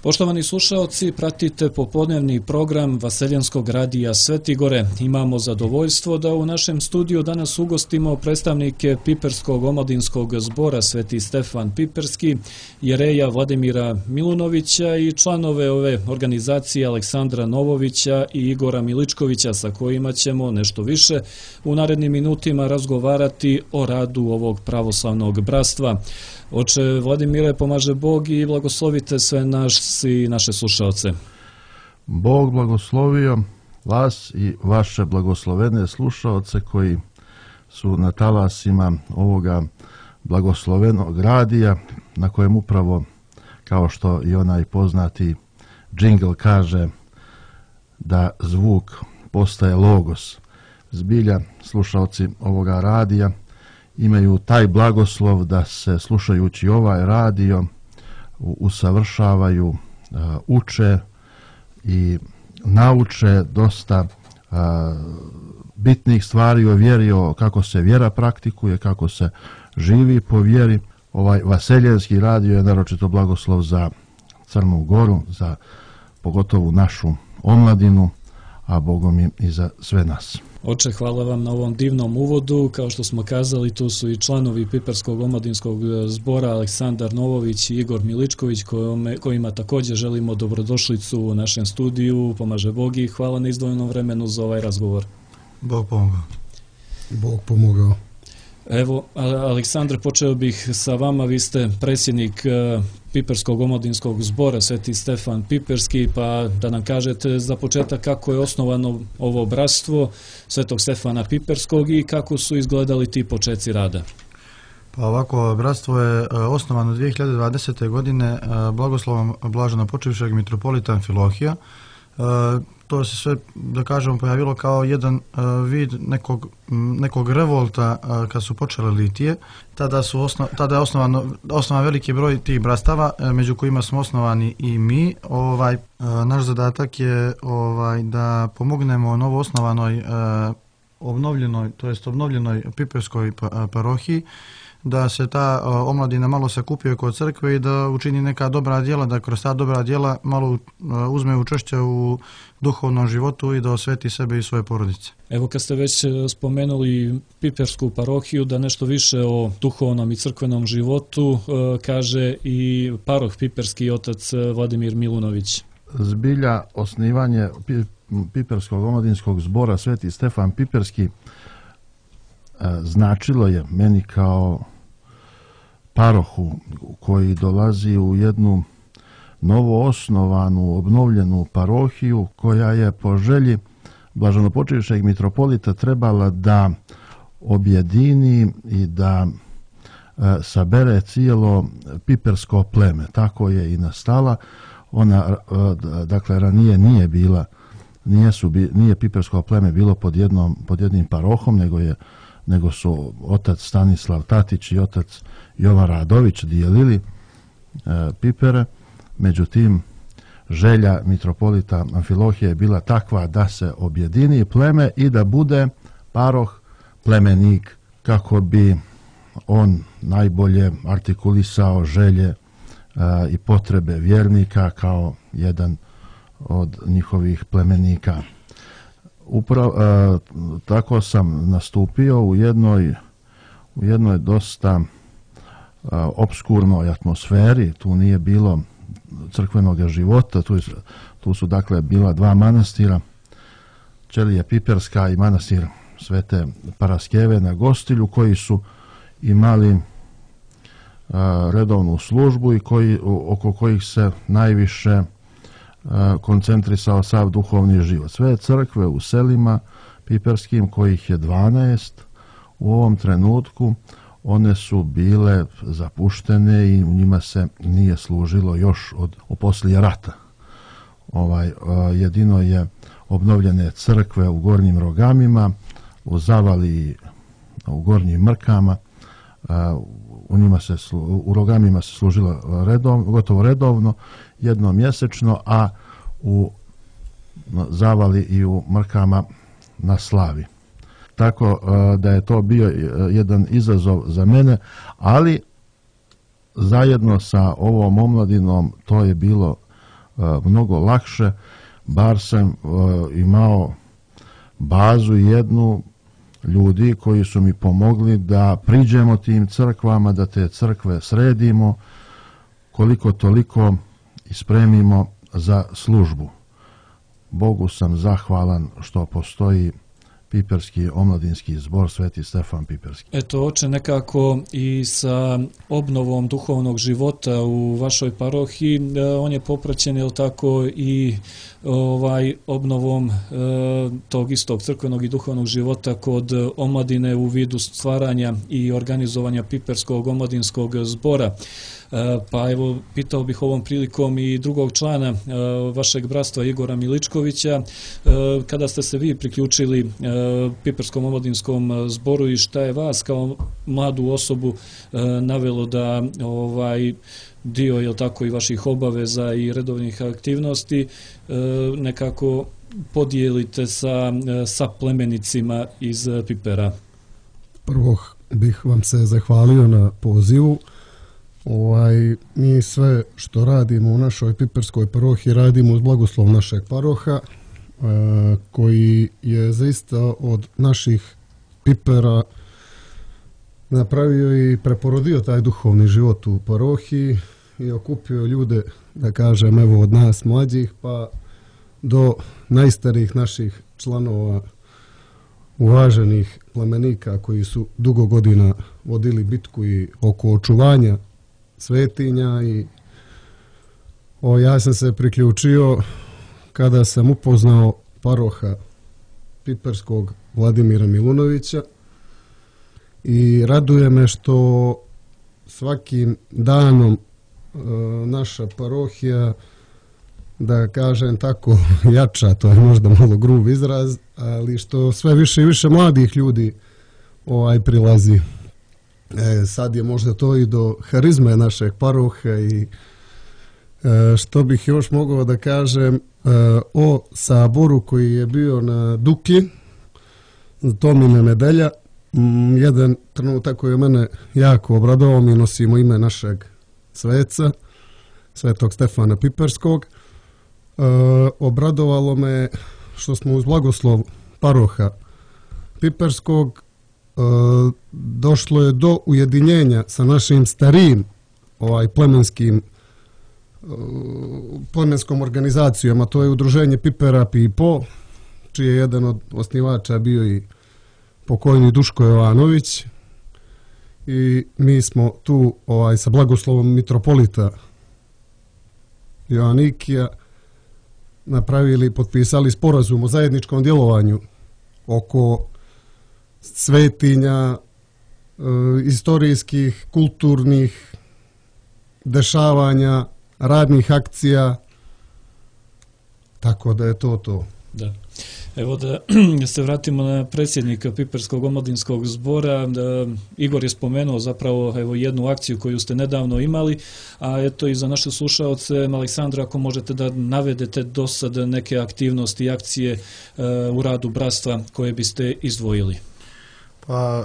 Poštovani slušaoci, pratite popodnevni program Vaseljenskog radija Svetigore. Imamo zadovoljstvo da u našem studiju danas ugostimo predstavnike Piperskog omladinskog zbora Sveti Stefan Piperski, jereja Vladimira Milunovića i članove ove organizacije Aleksandra Novovića i Igora Miličkovića, sa kojima ćemo nešto više u narednim minutima razgovarati o radu ovog pravoslavnog bratstva. Oče Vladimire, pomaže Bog i blagoslovite sve nas i naše slušaoce. Bog blagoslovio vas i vaše blagoslovene slušaoce koji su na talasima ovoga blagoslovenog radija, na kojem upravo, kao što i onaj poznati džingl kaže, da zvuk postaje logos. Zbilja, slušaoci ovoga radija imaju taj blagoslov da se, slušajući ovaj radio, usavršavaju, uče i nauče dosta bitnih stvari o vjeri, o kako se vjera praktikuje, kako se živi po vjeri. Ovaj Vaseljenski radio je naročito blagoslov za Crnu Goru, za pogotovo našu omladinu, a Bogom i za sve nas. Oče, hvala vam na ovom divnom uvodu. Kao što smo kazali, tu su i članovi Piperskog omladinskog zbora Aleksandar Novović i Igor Miličković, kojima također želimo dobrodošlicu u našem studiju. Pomaže Bog i hvala na izdvojenom vremenu za ovaj razgovor. Bog pomogao. Bog pomogao. Evo, Aleksandre, počeo bih sa vama. Vi ste predsjednik Piperskog omladinskog zbora Sveti Stefan Piperski, pa da nam kažete za početak kako je osnovano ovo bratstvo Svetog Stefana Piperskog i kako su izgledali ti počeci rada. Pa ovako, bratstvo je osnovano 2020. godine blagoslovom blaženopočivšeg mitropolita Amfilohija. To se sve, da kažemo, pojavilo kao jedan vid nekog revolta kad su počele litije. Tada je osnovan veliki broj tih brastava, među kojima smo osnovani i mi. Naš zadatak je da pomognemo novo osnovanoj obnovljenoj Piperskoj parohiji, da se ta omladina malo sakupio kod crkve i da učini neka dobra djela, da kroz ta dobra djela malo uzme učešće u duhovnom životu i da osveti sebe i svoje porodice. Evo, kad ste već spomenuli Pipersku parohiju, da nešto više o duhovnom i crkvenom životu kaže i paroh Piperski, otac Vladimir Milunović. Zbilja, osnivanje Piperskog omladinskog zbora Sveti Stefan Piperski značilo je meni kao parohu koji dolazi u jednu novo osnovanu, obnovljenu parohiju koja je po želji blaženopočivšeg mitropolita trebala da objedini i da sabere cijelo pipersko pleme. Tako je i nastala. Ona, dakle, ranije nije pipersko pleme bilo pod jednim parohom, nego su otac Stanislav Tatić i otac Jovan Radović dijelili Pipere. Međutim, želja mitropolita Amfilohije je bila takva da se objedini pleme i da bude paroh plemenik, kako bi on najbolje artikulisao želje i potrebe vjernika kao jedan od njihovih plemenika. Tako sam nastupio u jednoj dosta obskurnoj atmosferi. Tu nije bilo crkvenog života, tu su dakle bila dva manastira, Ćelije Piperska i manastir Svete Paraskeve na Gostilju, koji su imali redovnu službu i oko kojih se najviše koncentrisao sav duhovni život. Sve crkve u selima piperskim, kojih je 12 u ovom trenutku, one su bile zapuštene i u njima se nije služilo još od poslije rata. Jedino je obnovljene crkve u Gornjim Rogamima, u Zavali, u Gornjim Mrkama. U Rogamima se služilo gotovo redovno, jednom mjesečno, a u Zavali i u Mrkama na slavi. Tako da je to bio jedan izazov za mene, ali zajedno sa ovom omladinom to je bilo mnogo lakše, bar sam imao bazu jednu ljudi koji su mi pomogli da priđemo tim crkvama, da te crkve sredimo, koliko toliko ispremimo za službu. Bogu sam zahvalan što postoji Piperski omladinski zbor Sveti Stefan Piperski. Eto, oče, nekako i sa obnovom duhovnog života u vašoj parohiji, on je popraćen, je li tako, i obnovom tog istog crkvenog i duhovnog života kod omladine u vidu stvaranja i organizovanja Piperskog omladinskog zbora. Pa evo, pitao bih ovom prilikom i drugog člana vašeg bratstva, Igora Miličkovića, kada ste se vi priključili Piperskom omladinskom zboru i šta je vas kao mladu osobu navelo da dio, je li tako, i vaših obaveza i redovnih aktivnosti nekako podijelite sa plemenicima iz Pipera? Prvo bih vam se zahvalio na pozivu. Mi sve što radimo u našoj Piperskoj parohiji radimo uz blagoslov našeg paroha, koji je zaista od naših Pipera napravio i preporodio taj duhovni život u parohiji i okupio ljude, da kažem, evo, od nas mlađih pa do najstarijih naših članova, uvaženih plemenika koji su dugo godina vodili bitku i oko očuvanja svetinja. I ja sam se priključio kada sam upoznao paroha Piperskog Vladimira Milunovića i raduje me što svakim danom naša parohija, da kažem tako, jača, to je možda malo grub izraz, ali što sve više i više mladih ljudi prilazi. Sad je možda to i do harizme našeg paroha. I što bih još mogao da kažem o saboru koji je bio na Duki, Tomine nedelja, jedan trenutak koji je mene jako obradovao, mi nosimo ime našeg sveca, Svetog Stefana Piperskog. Obradovalo me što smo uz blagoslov paroha Piperskog došlo je do ujedinjenja sa našim starijim plemenskom organizacijom, a to je udruženje Pipera Pipo, čiji je jedan od osnivača bio i pokojni Duško Jovanović, i mi smo tu sa blagoslovom mitropolita Joanikija potpisali sporazum o zajedničkom djelovanju oko svetinja, istorijskih, kulturnih dešavanja, radnih akcija, tako da je to. Da. Evo da se vratimo na predsjednika Piperskog omladinskog zbora. Igor je spomenuo zapravo jednu akciju koju ste nedavno imali, a eto i za naše slušaoce, Aleksandra, ako možete da navedete do sada neke aktivnosti i akcije u radu bratstva koje biste izdvojili. Pa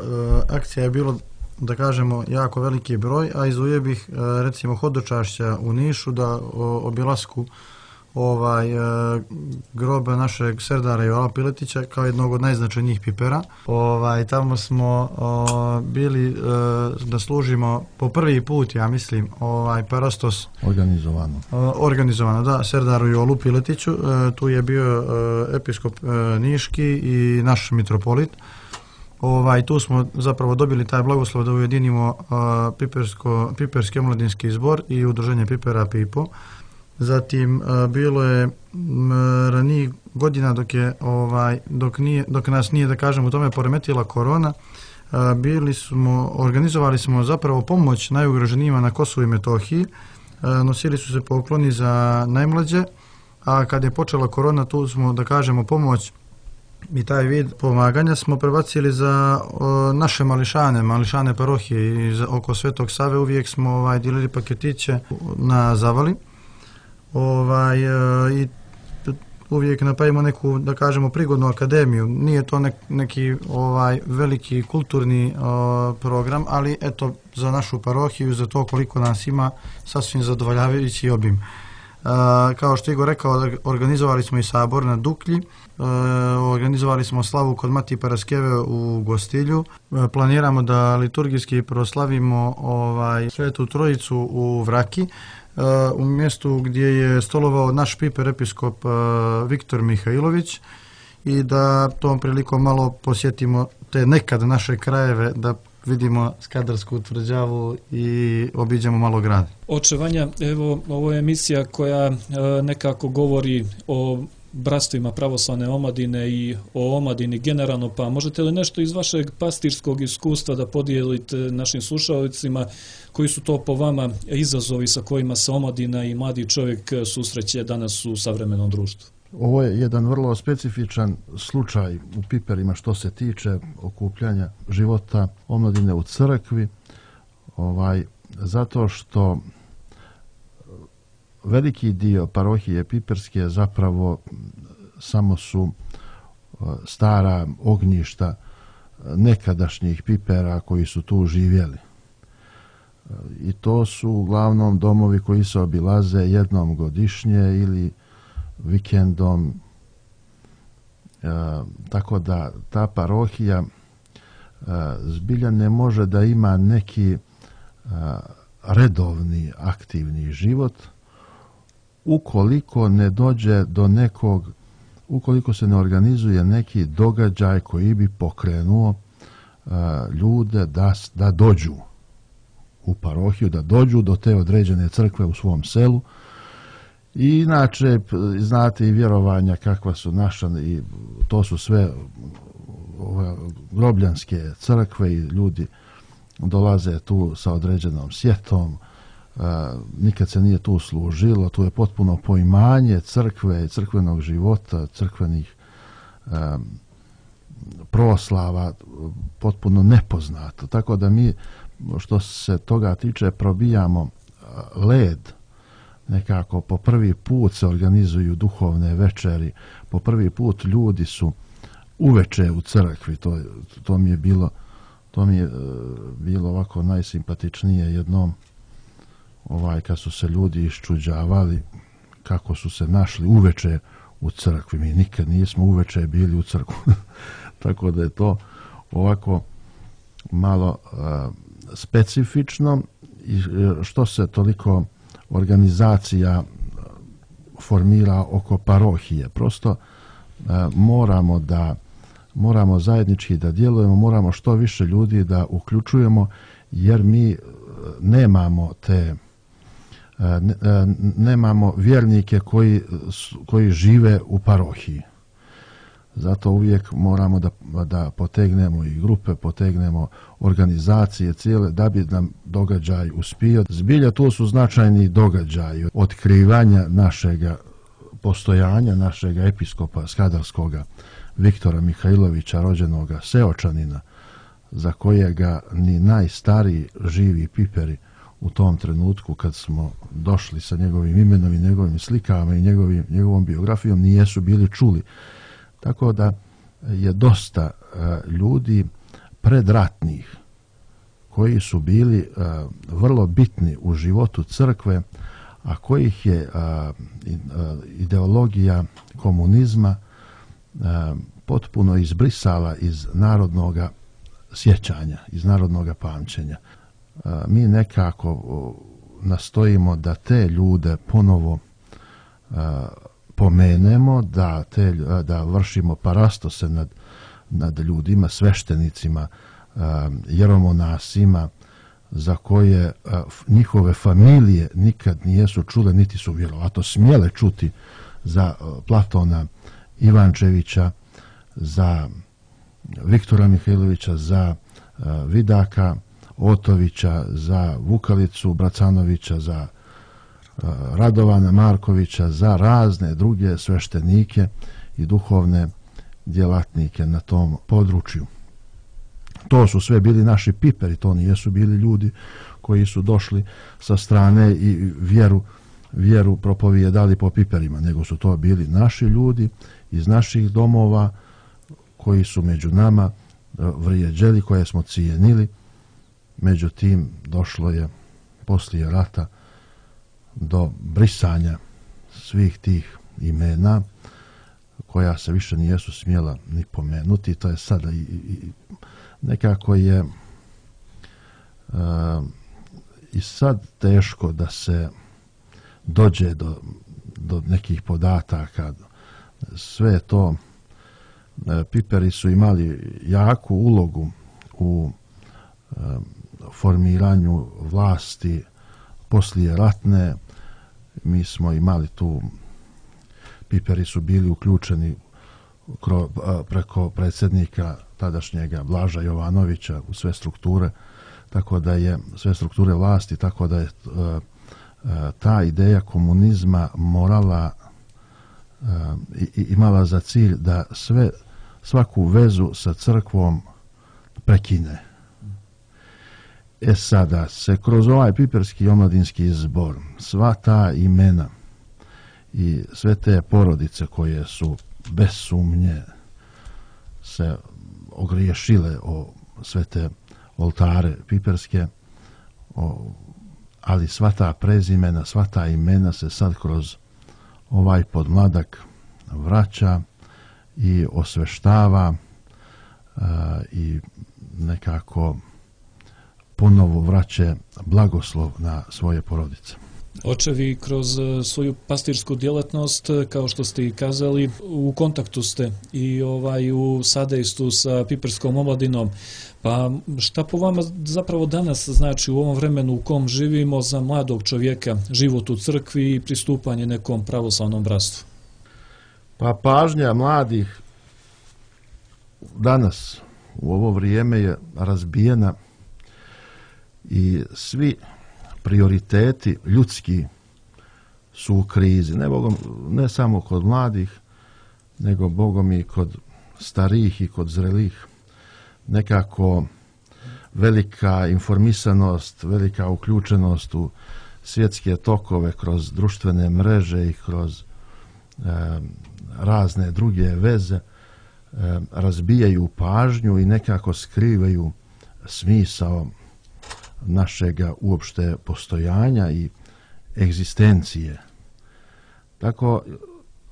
akcija je bilo, da kažemo, jako veliki broj, a izdvojio bih recimo hodočašća u Nišu, da obilasku groba našeg serdara Jovana Piletića kao jednog od najznačajnijih Pipera. Tamo smo bili da služimo po prvi put, ja mislim, parastos organizovano, da, serdaru Jolu Piletiću. Tu je bio episkop Niški i naš mitropolit. Tu smo zapravo dobili taj blagoslov da ujedinimo Piperski omladinski zbor i udruženje Pipera Pipo. Zatim bilo je ranijih godina dok nas nije, da kažem, u tome poremetila korona, organizovali smo zapravo pomoć najugroženijima na Kosovu i Metohiji, nosili su se pokloni za najmlađe, a kad je počela korona, tu smo, da kažemo, pomoć i taj vid pomaganja smo prebacili za naše mališane parohije i oko Svetog Save. Uvijek smo dijelili paketiće na zavali. I uvijek napravimo neku, da kažemo, prigodnu akademiju. Nije to neki veliki kulturni program, ali eto, za našu parohiju, za to koliko nas ima, sasvim zadovoljavajući obim. Kao što je Igor rekao, organizovali smo i sabor na Duklji, organizovali smo slavu kod Mati Paraskeve u Gostilju. Planiramo da liturgijski proslavimo Svetu Trojicu u Vraki, u mjestu gdje je stolovao naš piper episkop Viktor Mihajlović, i da tom prilikom malo posjetimo te nekad naše krajeve, da vidimo Skadarsku tvrđavu i obiđemo malo grad. Oče Vanja, evo, ovo je emisija koja nekako govori o bratstvima pravoslavne omladine i o omladini generalno, pa možete li nešto iz vašeg pastirskog iskustva da podijelite našim slušalcima, koji su to po vama izazovi sa kojima se omladina i mladi čovjek susreće danas u savremenom društvu? Ovo je jedan vrlo specifičan slučaj u Piperima što se tiče okupljanja života omladine u crkvi, zato što veliki dio parohije Piperske zapravo samo su stara ognjišta nekadašnjih Pipera koji su tu živjeli. I to su uglavnom domovi koji se obilaze jednom godišnje ili vikendom, tako da ta parohija zbilja ne može da ima neki redovni aktivni život ukoliko ne dođe do nekog, ukoliko se ne organizuje neki događaj koji bi pokrenuo ljude da dođu u parohiju, da dođu do te određene crkve u svom selu. I inače, znate i vjerovanja kakva su naša, i to su sve grobljanske crkve i ljudi dolaze tu sa određenom sjetom, nikad se nije tu služilo, tu je potpuno poimanje crkve, crkvenog života, crkvenih proslava potpuno nepoznato. Tako da mi, što se toga tiče, probijamo led. Nekako po prvi put se organizuju duhovne večeri, po prvi put ljudi su uveče u crkvi, to mi je bilo ovako najsimpatičnije jednom, kad su se ljudi iščuđavali kako su se našli uveče u crkvi. Mi nikad nismo uveče bili u crkvu. Tako da je to ovako malo specifično, i što se toliko organizacija formira oko parohije. Prosto moramo zajednički da djelujemo, moramo što više ljudi da uključujemo, jer mi nemamo vjernike koji žive u parohiji. Zato uvijek moramo da potegnemo i grupe, potegnemo organizacije cijele, da bi nam događaj uspio. Zbilja tu su značajni događaji otkrivanja našega postojanja, našega episkopa Skadarskoga Viktora Mihajlovića, rođenoga Seočanina, za kojega ni najstariji živi Piperi u tom trenutku kad smo došli sa njegovim imenom i njegovim slikama i njegovom biografijom nijesu bili čuli. Tako da je dosta ljudi predratnih koji su bili vrlo bitni u životu crkve, a kojih je ideologija komunizma potpuno izbrisala iz narodnog sjećanja, iz narodnog pamćenja. Mi nekako nastojimo da te ljude ponovo pomenemo, da vršimo parastose nad ljudima, sveštenicima, jeromonasima, za koje njihove familije nikad nijesu čule, niti su vjerovatno smjele čuti, za Platona Ivančevića, za Viktora Mihajlovića, za Vidaka Otovića, za Vukalicu Bracanovića, za Radovana Markovića, za razne druge sveštenike i duhovne djelatnike na tom području. To su sve bili naši Piperi, to nijesu bili ljudi koji su došli sa strane i vjeru propovijedali po Piperima, nego su to bili naši ljudi iz naših domova koji su među nama vrijeđeli, koje smo cijenili. Međutim, došlo je poslije rata do brisanja svih tih imena koja se više nijesu smjela ni pomenuti. To je sada i nekako je i sad teško da se dođe do nekih podataka. Sve to, Piperi su imali jaku ulogu u formiranju vlasti poslije ratne. Mi smo imali tu, Piperi su bili uključeni preko predsjednika tadašnjega Blaža Jovanovića u sve strukture, tako da je sve strukture vlasti, tako da je ta ideja komunizma morala imala za cilj da svaku vezu sa crkvom prekine. Sada se kroz ovaj Piperski omladinski zbor sva ta imena i sve te porodice koje su bez sumnje se ogriješile o sve te oltare piperske, ali sva ta prezimena, sva ta imena se sad kroz ovaj podmladak vraća i osveštava i nekako ponovo vraća blagoslov na svoje porodice. Očevi kroz svoju pastirsku djelatnost, kao što ste i kazali, u kontaktu ste i u sadejstvu sa Piperskom omladinom. Pa šta po vama zapravo danas znači u ovom vremenu u kom živimo za mladog čovjeka život u crkvi i pristupanje nekom pravoslavnom bratstvu? Pa pažnja mladih danas u ovo vrijeme je razbijena i svi prioriteti ljudski su u krizi. Ne samo kod mladih, nego Bogom i kod starijih i kod zrelih. Nekako velika informisanost, velika uključenost u svjetske tokove kroz društvene mreže i kroz razne druge veze razbijaju pažnju i nekako skrivaju smisao našega uopšte postojanja i egzistencije. Tako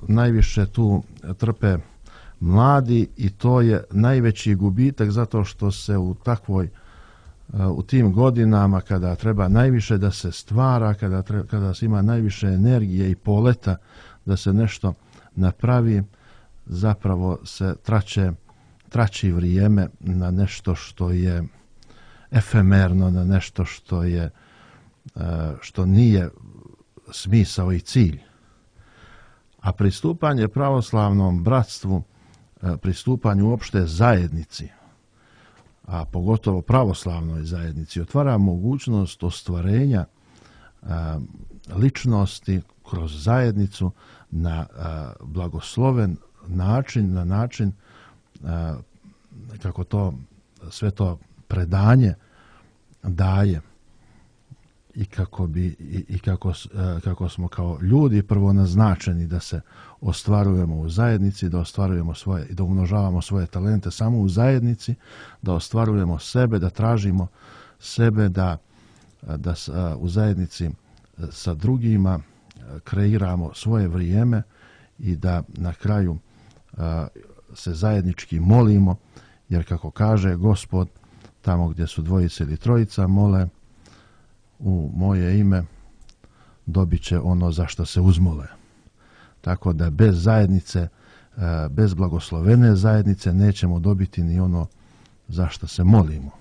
najviše tu trpe mladi i to je najveći gubitak zato što se u tim godinama kada treba najviše da se stvara, kada se ima najviše energije i poleta da se nešto napravi, zapravo se trači vrijeme na nešto što je efemerno, na nešto što nije smisao i cilj. A pristupanje pravoslavnom bratstvu, pristupanje uopšte zajednici, a pogotovo pravoslavnoj zajednici, otvara mogućnost ostvarenja ličnosti kroz zajednicu na blagosloven način, na način kako to sve to predanje daje i kako smo kao ljudi prvo naznačeni da se ostvarujemo u zajednici, da ostvarujemo svoje i da umnožavamo svoje talente samo u zajednici, da ostvarujemo sebe, da tražimo sebe, da u zajednici sa drugima kreiramo svoje vrijeme i da na kraju se zajednički molimo, jer kako kaže Gospod, tamo gdje su dvojice ili trojica mole u moje ime, dobit će ono za što se uzmole. Tako da bez zajednice, bez blagoslovene zajednice nećemo dobiti ni ono za što se molimo.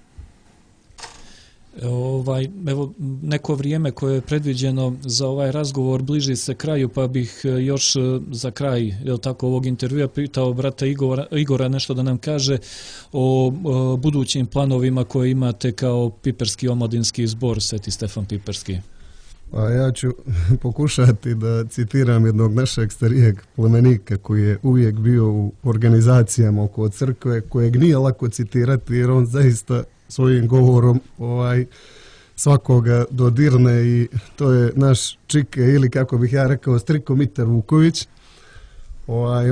Evo, neko vrijeme koje je predviđeno za ovaj razgovor bliži se kraju, pa bih još za kraj ovog intervjua pitao brata Igora nešto da nam kaže o budućim planovima koje imate kao Piperski omladinski zbor Sveti Stefan Piperski. Pa ja ću pokušati da citiram jednog našeg starijeg plemenika koji je uvijek bio u organizacijama oko crkve, kojeg nije lako citirati jer on zaista svojim govorom svakoga dodirne i to je naš Čike ili kako bih ja rekao Striko Mitar Vuković.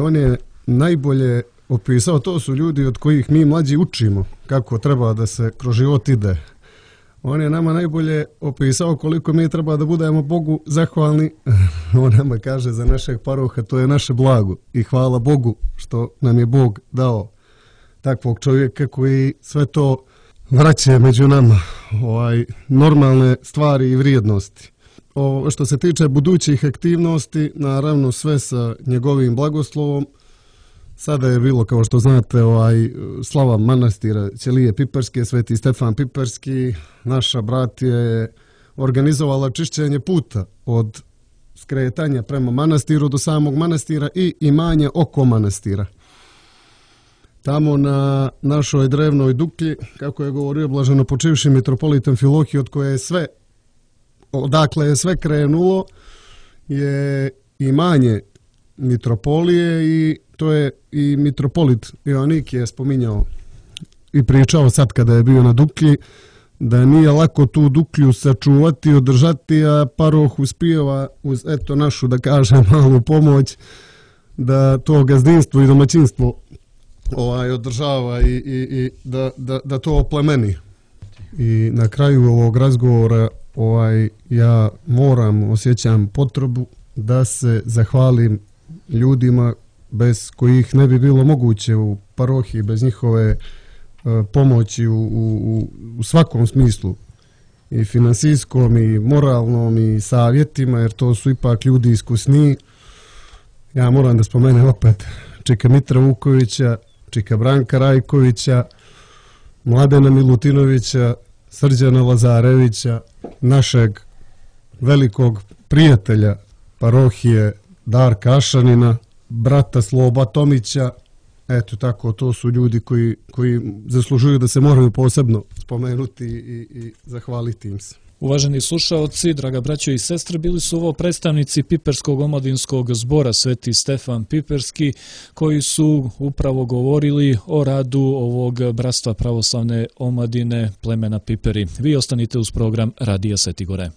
On je najbolje opisao, to su ljudi od kojih mi mlađi učimo kako treba da se kroz život ide. On je nama najbolje opisao koliko mi treba da budemo Bogu zahvalni. On nama kaže za našeg paroha, to je naše blago i hvala Bogu što nam je Bog dao takvog čovjeka koji sve to vraća među nama, normalne stvari i vrijednosti. Što se tiče budućih aktivnosti, naravno sve sa njegovim blagoslovom. Sada je bilo, kao što znate, slava manastira Ćelije Piperske, Sveti Stefan Piperski. Naša bratija je organizovala čišćenje puta od skretanja prema manastiru do samog manastira i imanja oko manastira. Tamo na našoj drevnoj duklji, kako je govorio blaženopočivši mitropolit Amfilohije, odakle je sve krenulo, je imanje mitropolije i to je i mitropolit Ioannikije spominjao i pričao sad kada je bio na duklji, da nije lako tu duklju sačuvati, održati, a paroh uspijeva uz našu, da kažem, malu pomoć da to gazdinstvo i domaćinstvo održava i da to oplemeni. I na kraju ovog razgovora ja osjećam potrebu da se zahvalim ljudima bez kojih ne bi bilo moguće u parohiji, bez njihove pomoći u svakom smislu, i finansijskom i moralnom i savjetima, jer to su ipak ljudi iskusniji. Ja moram da spomenem opet čika Mitra Vukovića, čika Branka Rajkovića, Mladena Milutinovića, Srđana Lazarevića, našeg velikog prijatelja parohije Darka Ašanina, brata Sloba Tomića. Eto tako, to su ljudi koji zaslužuju da se moraju posebno spomenuti i zahvaliti im se. Uvaženi slušaoci, draga braćo i sestre, bili su ovo predstavnici Piperskog omladinskog zbora Sveti Stefan Piperski, koji su upravo govorili o radu ovog bratstva pravoslavne omladine plemena Piperi. Vi ostanite uz program Radija Sveti Gore.